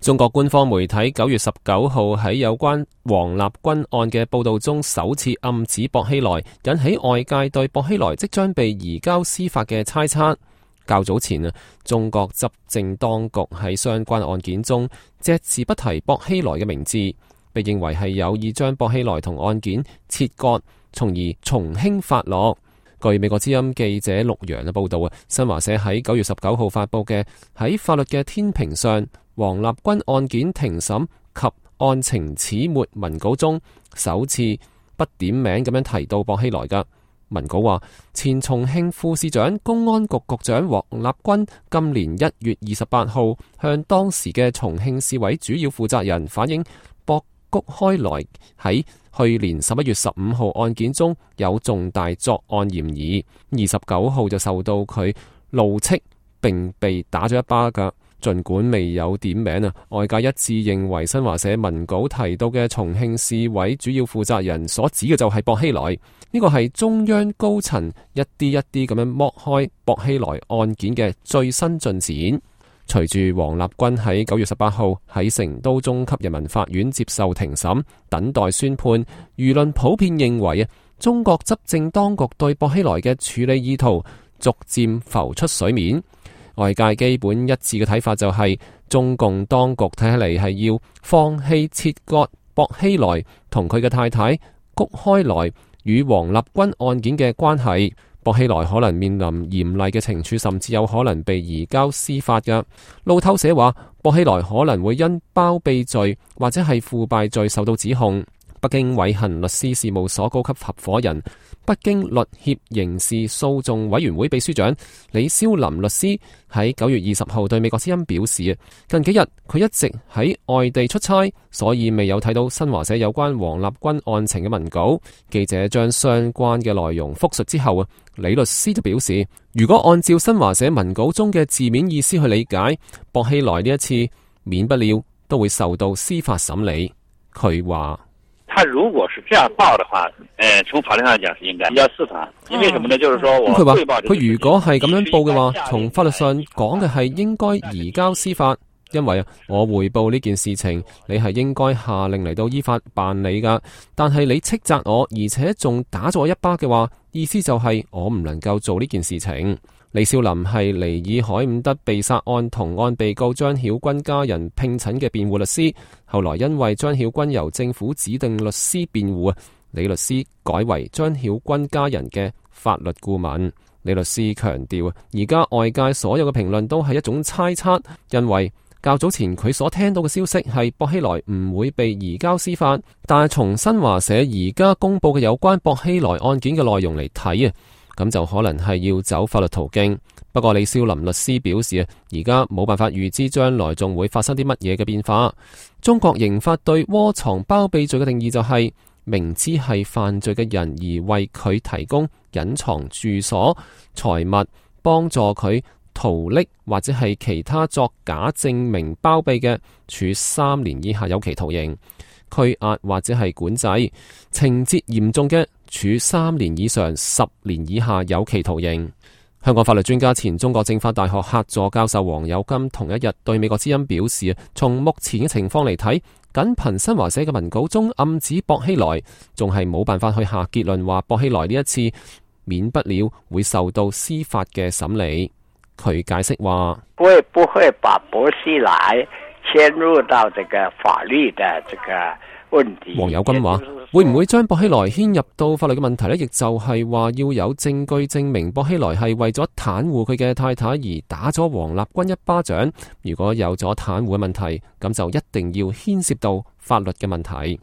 中國官方媒體9月19號喺有關王立軍案嘅報道中，首次暗指薄熙來，引起外界對薄熙來即將被移交司法嘅猜測。較早前中國執政當局喺相關案件中隻字不提薄熙來嘅名字，被認為係有意將薄熙來同案件切割，從而從輕發落。據美國之音記者陸洋嘅報道，新華社喺9月19號發佈嘅喺法律嘅天平上，王立軍案件庭審及案情始末文稿中，首次不點名咁樣提到薄熙來嘅文稿話，前重慶副市長、公安局局長王立軍今年1月28號向當時嘅重慶市委主要負責人反映，薄谷開來喺去年11月15號案件中有重大作案嫌疑，29號就受到佢怒斥並被打咗一巴噶。盡管未有點名外界一致認為新華社文稿提到嘅重慶市委主要負責人所指嘅就係薄熙來。呢個係中央高層一啲一啲咁樣剝開薄熙來案件嘅最新進展。隨住王立軍喺9月18號喺成都中級人民法院接受庭審，等待宣判，輿論普遍認為中國執政當局對薄熙來嘅處理意圖逐漸浮出水面。外界基本一致嘅睇法就係，中共當局睇起嚟係要放棄切割薄熙來同佢嘅太太谷開來與王立軍案件嘅關係。薄熙來可能面臨嚴厲嘅懲處，甚至有可能被移交司法嘅。路透社話，薄熙來可能會因包庇罪或者係腐敗罪受到指控。北京偉恒律師事務所高級合夥人、北京律協刑事訴訟委員會秘書長李霄林律師喺9月20號對美國之音表示，近幾日佢一直喺外地出差，所以未有睇到新華社有關王立軍案情嘅文稿。記者將相關嘅內容複述之後，李律師就表示，如果按照新華社文稿中嘅字面意思去理解，薄熙來呢一次免不了都會受到司法審理。佢話，他如果是這樣報的話，從法律上講是應該移交司法。因為什麼呢？就是說我匯報佢如果係咁樣報嘅話，從法律上講嘅係應該移交司法，因為我匯報呢件事情，你係應該下令嚟到依法辦理噶。但係你斥責我，而且仲打咗我一巴嘅話，意思就係我唔能夠做呢件事情。李少林係尼爾海伍德被殺案同案被告張曉軍家人聘請嘅辯護律師，後來因為張曉軍由政府指定律師辯護，李律師改為張曉軍家人嘅法律顧問。李律師強調，而家外界所有嘅評論都係一種猜測，因為較早前佢所聽到嘅消息係薄熙來唔會被移交司法，但係從新華社而家公布嘅有關薄熙來案件嘅內容嚟睇咁就可能係要走法律途徑。不過李少林律師表示而家冇辦法預知將來仲會發生啲乜嘢嘅變化。中國刑法對窩藏包庇罪嘅定義就係明知係犯罪嘅人而為佢提供隱藏住所、財物，幫助佢逃匿或者係其他作假證明包庇嘅，處3年以下有期徒刑、拘押或者係管制；情節嚴重嘅，處3年以上10年以下有期徒刑。香港法律專家、前中國政法大學客座教授黃有金同一日對美國之音表示，從目前嘅情況嚟睇，僅憑新華社嘅文稿中暗指薄熙來，仲係冇辦法去下結論話薄熙來呢一次免不了會受到司法嘅審理。佢解釋話，會不會把薄熙來牽入到這個法律的這個問題？黃有金話，會唔會將薄熙來牽入到法律嘅問題呢？亦就係話要有證據證明薄熙來係為咗袒護佢嘅太太而打咗王立軍一巴掌。如果有咗袒護嘅問題，咁就一定要牽涉到法律嘅問題。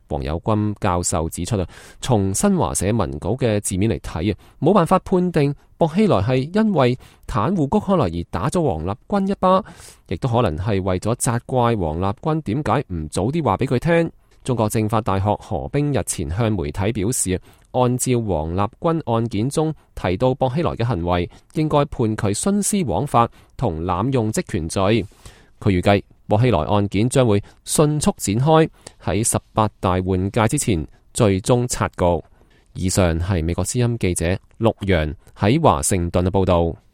黃有軍教授指出從新華社文稿嘅字面嚟睇冇辦法判定薄熙來係因為袒護谷開來而打咗王立軍一巴，亦都可能係為咗責怪王立軍點解唔早啲話俾佢聽。中國政法大學何冰日前向媒體表示，按照王立軍案件中提到薄熙來嘅行為，應該判佢徇私枉法同濫用職權罪。佢預計薄熙來案件將會迅速展開，喺18大換屆之前最終察局。以上係美國之音記者陸洋喺華盛頓嘅報道。